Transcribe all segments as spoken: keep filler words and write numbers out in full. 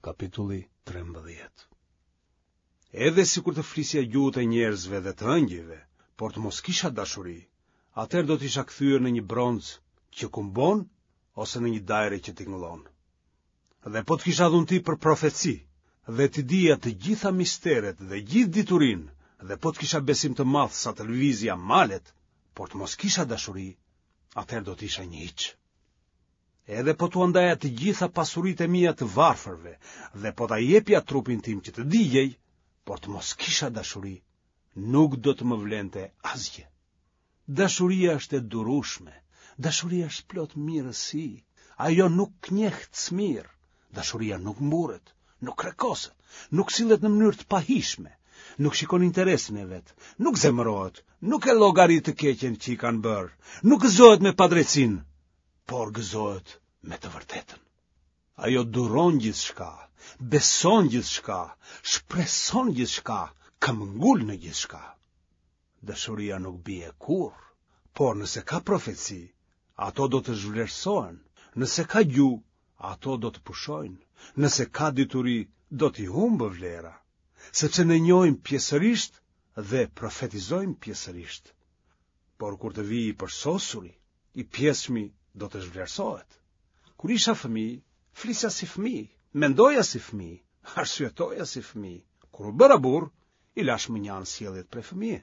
Kapitulli trembëdhjetë. Edhe sikur të flisja gjuhët e njerëzve dhe të ëngjëjve, por të mos kisha dashuri, atëherë do të isha kthyer në një bronz që kumbon ose në një dajre që tingëllon. Dhe po të kisha dhunti për profeci, dhe t'i dija të gjitha misteret dhe gjithë diturinë, dhe po të kisha besim të madh sa të lëvizja malet, por të mos kisha dashuri, atëherë do të isha një hiç. Edhe po t'ua ndaja të gjitha pasuritë e mia të varfërve dhe po ta jepja trupin tim që të digjej, por të mos kisha dashuri, nuk do të më vlente asgjë. Dashuria është e durueshme, dashuria është plot mirësi, ajo nuk njeh smirë, dashuria nuk mburret, nuk krekoset, nuk sillet në mënyrë të pahijshme, nuk shikon interesin e vet, nuk zemërohet, nuk e llogarit të keqen që i kanë bërë, nuk gëzohet me padrejtësinë, por gëzohet me të vërtetën. Ajo duron gjithçka, beson gjithçka, shpreson gjithçka, këmbëngul në gjithçka. Dashuria nuk bie kurrë, por nëse ka profeci, ato do të zhvlerësohen, nëse ka gjuhë, ato do të pushojnë, nëse ka dituri, do t'i humbë vlera, sepse ne njohim pjesërisht dhe profetizojmë pjesërisht. Por kur të vijë i përsosuri, i pjesshmi do të zhvlerësohet. Kur isha fëmijë, flisja si fëmijë, mendoja si fëmijë, arsyetoja si fëmijë. Kur u bëra burrë, i lashë mënjanë sjelljet prej fëmije.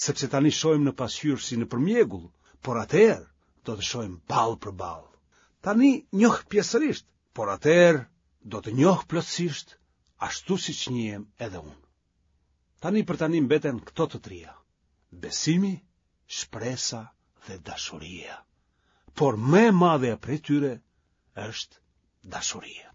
Sepse tani shohim në pasqyrë si nëpër mjegull, por atëherë do të shohim ballë për ballë. Tani njoh pjesërisht, por atëherë do të njoh plotësisht, ashtu siç njihem edhe unë. Tani për tani mbeten këto të tria: besimi, shpresa dhe dashuria. Por më e madhja prej tyre është dashuria.